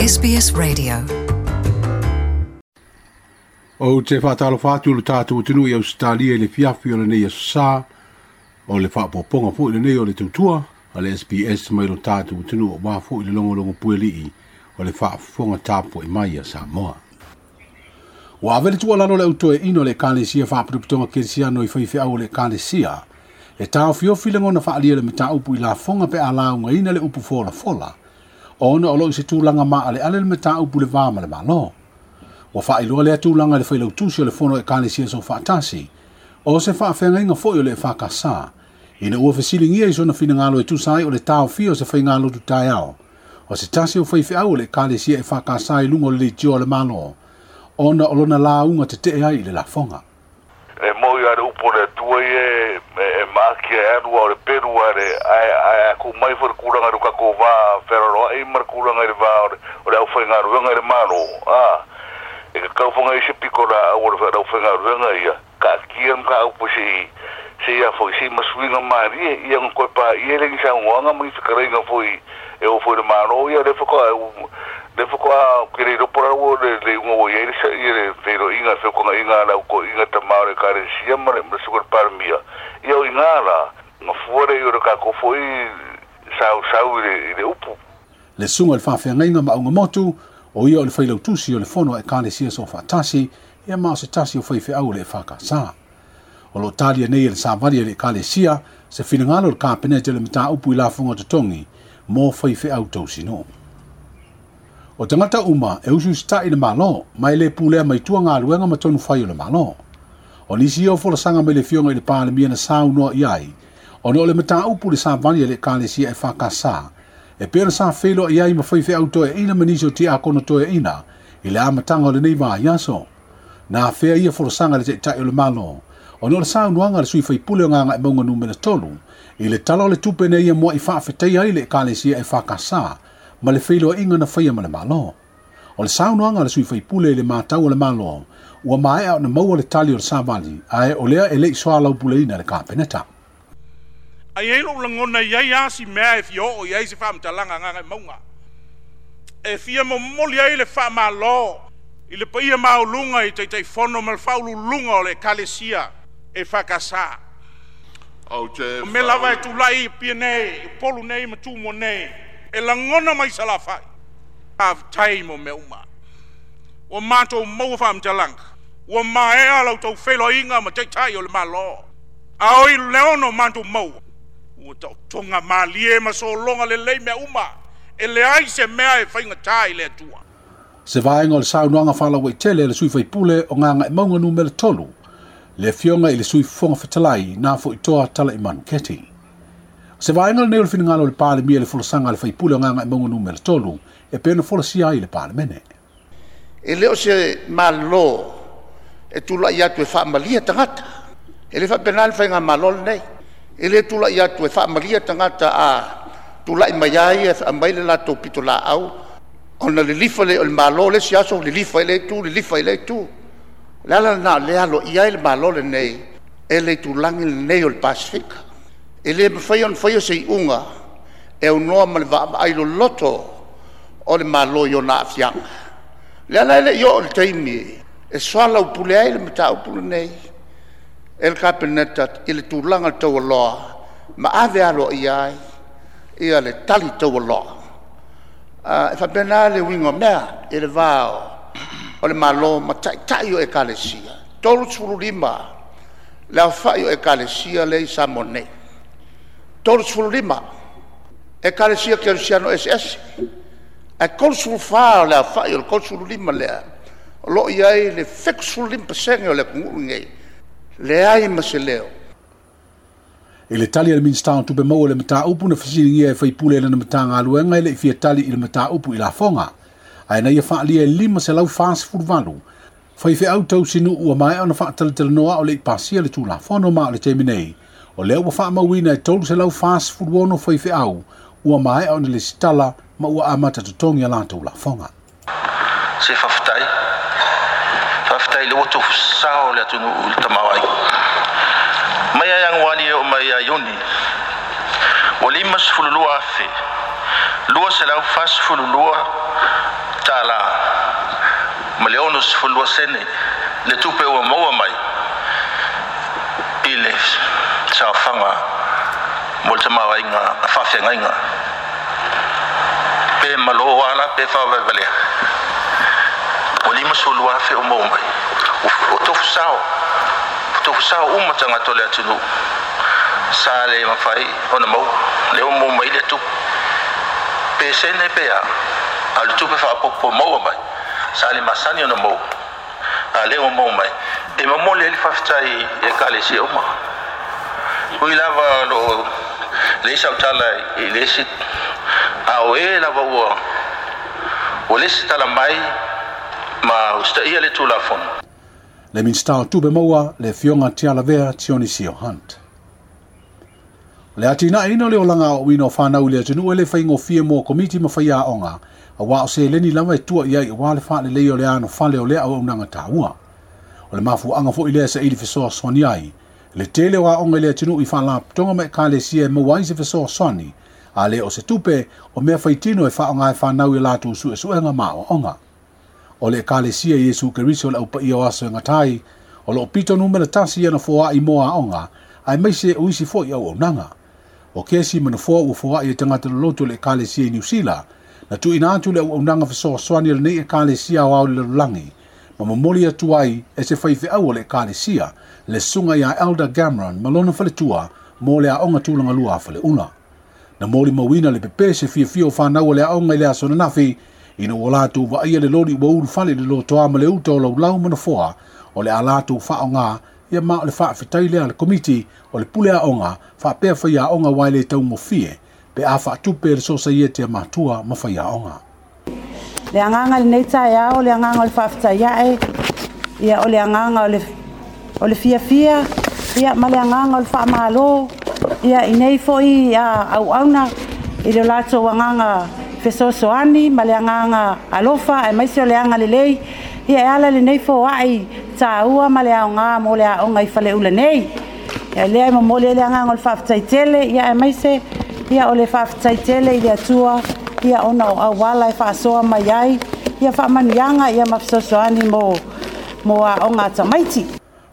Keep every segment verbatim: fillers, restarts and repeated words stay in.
S B S Radio. Ou te whaatalofa atu le tātou atunuu i Ausetalia i le fiafi o lenei aso sa, o le faapopoga foi lenei o le tautua a le S B S mai lo tātou atunuu aua foi le logologo puelii o le faafofoga tapuai mai a Samoa. Ua ave le tuualalo le autoeina o le Ekalesia Faapotopotoga Kerisiano i faifeau o le Ekalesia e taofiofi lagona faalia le mataupu i lafoga pe a laugaina le upu folafola, ona o loo i se tulaga maaleale le mataupu le va ma le Malo. Ua faailoa lea tulaga i le failautusi o le Fono Ekalesia Soofaatasi, o se faafeagaiga foi o le E F K S, ina ua fesiligia i sona finagalo e tusa ai o le taofia o se faigalotu taeao, o se tasi o faifeau o le Ekalesia E F K S i luga o le leitio a le Malo, ona o lona lauga tetee ai i le lafoga. E moi a le upu le Atua ia e maaki e alu au le pelu a le ae a ku mai fo le kulaga i le kako vā wheraro ma le kulaga i le vā o le au whaingaruenga i le Malo. A, e ka kauwhanga i se piko la au o le au whaingaruenga ia, ka kia mga au po se se ia fo se masuinga marie ia ngā koe pā ia lengi sa ngoanga mangi whakareinga fo i e o fo i le Malo ia le whaka le whaka ke le ropora o le le unga o ia le sa ia le whero inga whekanga inga la uko inga tamao le kare sia ma le masuka le parmia ia o inga la ngā fuare i o le kako fo i sau sau i le, i le upu. Le suga le faafeagaiga ma augamotu o ia o le failautusi o le Fono a Ekalesia Soofaatasi ia ma o se tasi o faifeau o le E F K S. O loo talia nei e le savali a le Ekalesia se finagalo o le Kapeneta le mataupu i lafoga totogi mo faifeau tausinuu. O tagata uma e usuusita'i le Malo ma e lē pulea mai tua galuega ma tonu fai o le Malo. O nisi ia o folasaga mai le Afioga i le Palemia na saunoa i ai, ona o le mataupu le savali a le Ekalesia E F K S e pei ona sa feiloai ai ma faifeau toeaina ma nisi o tiakono toeaina i le amataga o lenei vaiaso. Na afea ia folasaga le Taitai o le Malo, ona o le saunoaga a le sui faipule o Gagaemauga numera tolu i le tala o le tupe nei ia moa'i faafetaia ai le Ekalesia E F K S ma le feiloaiga na faia ma le Malo. O le saunoaga a le sui faipule i le matau o le Malo, ua maea ona maua le tali o le savali, ae o lea e le'i soalaupuleina le Kapeneta. Ai ei lou lagona iai a si mea e fia oo i ai se faamatalaga Gagaemauga. E fia momoli ai le faamālō i le paia mauluga i Taitaifono ma le faaululuga o le Ekalesia E F K S. O mea lava e tula'i i Apia nei, i Upolu nei ma Tumua nei, e lagona mai Salafai. Faafetai mo mea uma. Ua matou maua faamatalaga, ua maea lau taufeiloaiga ma Taitai o le Malo. A oi le ono matou maua, ua taotoga malie ma sologa lelei mea uma, e leai se mea e faigatā i le Atua. Se vaega o le saunoaga faalauaitele a le sui faipule o Gagaemauga numera tolu, le Afioga i le Sui Fofoga Fetalai na foitoa Tala'imanu Keti. Se vaega lenei o le finagalo o le Palemia i le folasaga a le faipule o Gagaemauga numera tolu, e pei ona folasia ai i le Palemene. E le o se Malo e tula'i atu e faamalia tagata. E le faapena le faigamalo lenei. E le tula'i atu e faamalia tagata a tula'i mai ai e aumai le latou pitolaau ona lilifa le o le Malo le isi aso lilifa i le itu, lilifa i le itu. O le ala lena o lea aloaia ai le Malo lenei e le itulagi lenei o le Pasifika. E le mafai ona faia se iuga e aunoa ma le vaavaai loloto o le Malo i ona aafiaga. Le ala e le'i oo le taimi e soalaupule ai le mataupu lenei e le Kapeneta i le tulaga le taualoa ma ave aloaia ai ia le tali taualoa. E faapena le uiga o mea i le va o le Malo ma taitai o Ekalesia. Tolu lima le aofa'i o Ekalesia lea i Samoa nei. Tolu lima Ekalesia Kerisiano eseese. Ae tolu fa o le aofa'i o le tolu lima lea o loo i ai le fitu lima pasene o le atunuu lenei. Leai ma se leo. I le tali a le Minista o Tupe Maua le mataupu na fesiligia e faipule i lana Matagaluega e le'i fia tali i le mataupu i lafoga. Ae na ia faalia e lima selau fasefulu valu. Faifeau tausinuu ua maea ona faatalatalanoa o le'i pasia le Tulafono ma o le taimi nei. O lea ua faamauina e tolu selau fasefulu ono faifeau ua maea ona lesitala ma ua amata totogi a latou lafoga. Se faafetai. Faafetai le ua tofusao le atunuu i le tamaoaiga. Mai ai Ianuari e oo mai ia Iuni, ua limasefululua afe, lua selau fasefululua tālā ma le ono sefululua sene le tupe ua maua mai i le saofaga mo le tamaoaiga a faafeagaiga pe malō ala pe faavaevalea ua lima sefululua afe o maua mai o tofusao tofusao uma tagata o le atunuu sa le mafai ona maua le o maua mai le tupe pe sene pe a a le tupe faapopo maua mai sa le masani ona maua a le o maua mai e momoli ai le faafetai e ekalesia uma ui lava loo le isi autala i le isi a o e lava ua ua le isi tala mai ma usitaia le Tulafono. Le Minista o Tupe Maua le Afioga Tialavea Tionisio Hunt. Le atinaeina o le olaga aoaoina o fanau i le atunuu e le faigofie mo komiti ma faiaoga, auā o seleni lava e tua i ai auā le faalelei o le anofale o lea auaunaga taua. O le mafuaaga foi lea saili fesoasoani ai le tele o aoga i le atunuu i faalapotopotoga ma ekalesia e maua ai se fesoasoani, a le o se tupe o mea faitino e faaaoga e fanau i latou suesuega ma aoaoga. O le ekalesia Iesu Keriso o le aupaia o aso e gatai, o loo pito numera tasi ana foai mo aoga, aemaise o isi foi auaunaga. O kesi ma nofoa ua foai e tagata loloto o le ekalesia i Niu Sila, na tuuina atu le auaunaga fesoasoani a lenei ekalesia aoao i le lalolagi, ma momoli atu ai e se faifeau o le ekalesia, le susuga ia Elder Gamron ma lona faletua mo le aoga tulagalua a Faleula. Na molimauina le pepe se fiafia o fanau o le aoga i le aso ananafi, ina ua latou vaaia le loli ua ulufale i le lotoa ma le uta o laulau ma nofoa o le a latou faaaoga ia ma o le faafetai lea a le komiti o le pule aoga faapea faiaoga aua e le taugofie pe a faatupe e le sosaiete a matua ma faiaoga. Le agaga i lenei taeao, o le agaga o le faafetai ae, ia o le agaga o le, o le fiafia, ia ma le agaga o le faamalo, ia i nei foi auauna i le latou agaga fesoasoani ma le agaga alofa aemaise o le agalelei, ia e ala lenei foai taua ma le aoga mo le aoga i Faleula nei. Ia lea e momoli ai le agaga o le faafetai tele, ia aemaise ia o le faafetai tele i le Atua, ia ona o auala e faasoa mai ai, ia faamanuiaga ia ma fesoasoani mo mo aoga a tamaiti.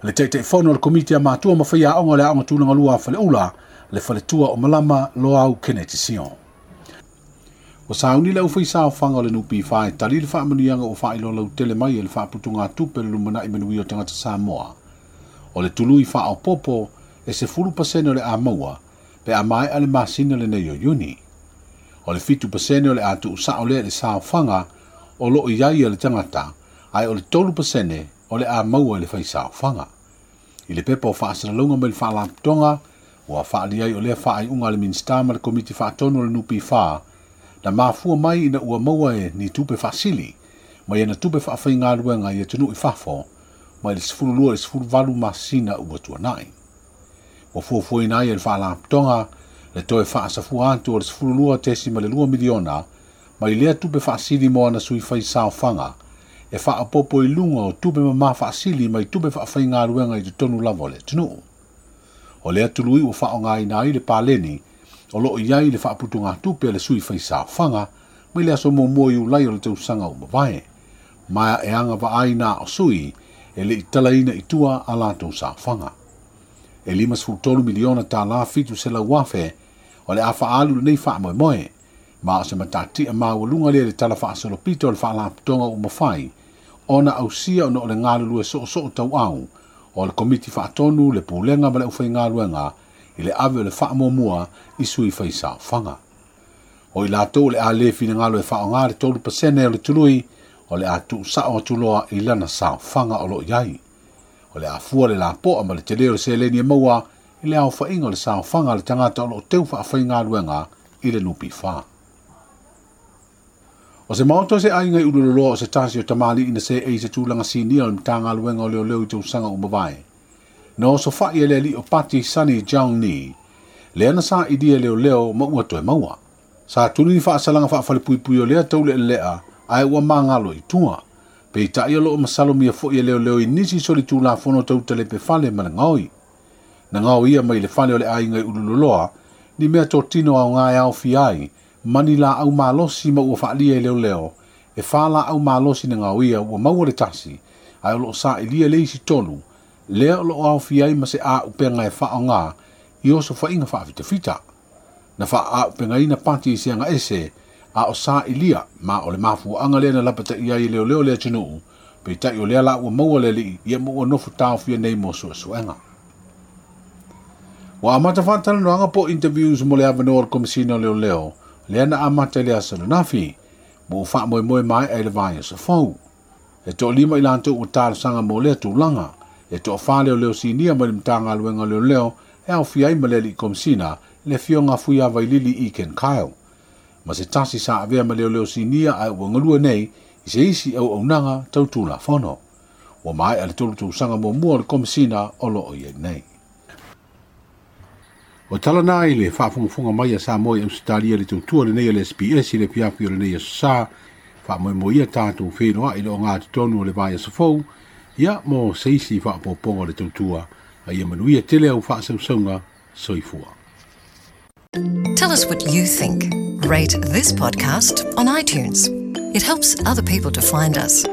Le Taitaifono o le Komiti a Matua ma Faiaoga o le Aoga Tulagalua a Faleula, le Faletua o Malama Loau Kenneth Sion. Ua sauni le aufaisaofaga o le N P F e tali le faamanuiaga ua faailoa lautele mai e le faaputugatupe le lumanai manuia o tagata Samoa. O le tului faaopopo e sefulu pasene o le a maua pe a maea le masina lenei o Iuni. O le fitu pasene o le a tuusao lea i le saofaga o loo i ai a le tagata, ae o le tolu pasene o le a maua i le faisaofaga. I le pepa o faasalalauga mai le faalapotopotoga, ua faaali ai o lea faaiuga a le Minista ma le Komiti Faatonu o le N P F na mafua mai ina ua maua e ni tupe faasili mai ana tupe faafaigaluega i atunuu i fafo mai le sefululua i le sefuluvalu masina ua tuanai. Ua fuafuaina ai e le faalapotopotoga le toe faasafua atu o le sefululua tesima le lua miliona mai lea tupe faasili mo ana sui faisaofaga e faaopopo i luga o tupe mamā faasili mai tupe faafaigaluega i totonu lava o le atunuu. O lea tului ua faaaogaina ai le paleni o loo i ai le faaputugatupe a le sui faisaofaga mai le aso muamua Iulai o le tausaga ua mavae, ma e agavaa ai na o sui e le i talaina i tua a latou saofaga. E lima sefulu tolu miliona tālā fitu selau afe o le a faaalu lenei faamoemoe, ma o se matatia maualuga lea i le tala faasolopito o le faalapotopotoga ua mafai ona ausia ona o le galulue soosoo tauau o le Komiti Faatonu, le Pulega ma le Aufaigaluega i le ave o le faamuamua i sui faisaofaga. O i latou o le a le finagalo e faaaoga le tolu pasene o le tului o le a tuusao atu loa i lana saofaga o loo i ai. O le a fua le lapoa ma le tele o le seleni e maua i le aofaiga o le saofaga a le tagata o loo teu faafaigaluega i le N P F. O se maota o se aiga i ululoloa o se tasi o tamalii na seei i se tulaga sinia o le Matagaluega o Leoleo i tausaga ua mavae. Na osofai e le alii o Pati Sunny Jong Ni, lea na sailia leoleo ma ua toe maua. Sa tuli ni faasalaga faafalepuipui o lea taulealea ae ua magalo i tua. Peitai o loo masalomia foi e leoleo i nisi solitulafono tautalepe fale ma le gaoi. Na gao ia mai le fale o le aiga i Ululoloa, ni mea totino aoga e aofia ai, ma ni laau malosi ma ua faalia e leoleo E whā la au malosi na ngauia ua maua le tasi, ai o loo sa ilia le isi tolu, lea o loo aofia ai ma se a upenga e whaonga i oso whainga whaafitafita. Na wha a upenga ina pati i seanga ese, a o sa ilia ma o le mafuaanga lea na lapata i ai leo leo le atunuu, peitai o lea la ua maua le alii ia mo ua nofo taofia nei mo suesuega. Ua amata faatalanoaga po interviews mo le avanoa o le Komesina o Leoleo, lea na amata i le aso ananafi, mo ua faamoemoe maea i le vaiaso fou. E toalima i latou ua talosaga mo lea tulaga, e toafā leoleo sinia mai le Matagaluega o Leoleo e aofia ai ma le alii Komesina le afioga a Fuiavailili Ken Kyle. Ma se tasi sa avea ma leoleo sinia ae ua galue nei i se isi auaunaga tau tulafono. Ua maea le tolu tausaga muamua o le Komesina o loo i ai nei. O tala nā i le faafogafoga mai a Samoa i Ausetalia le tautua lenei a le S B S i le afiafi o lenei aso sa, faamoemoe tatou feiloai i le ogatotonu o le vaiaso fou, ia mo se isi faaopoopoga o le tautua, a ia manuia tele au faasausauga soifua. Tell us what you think. Rate this podcast on iTunes. It helps other people to find us.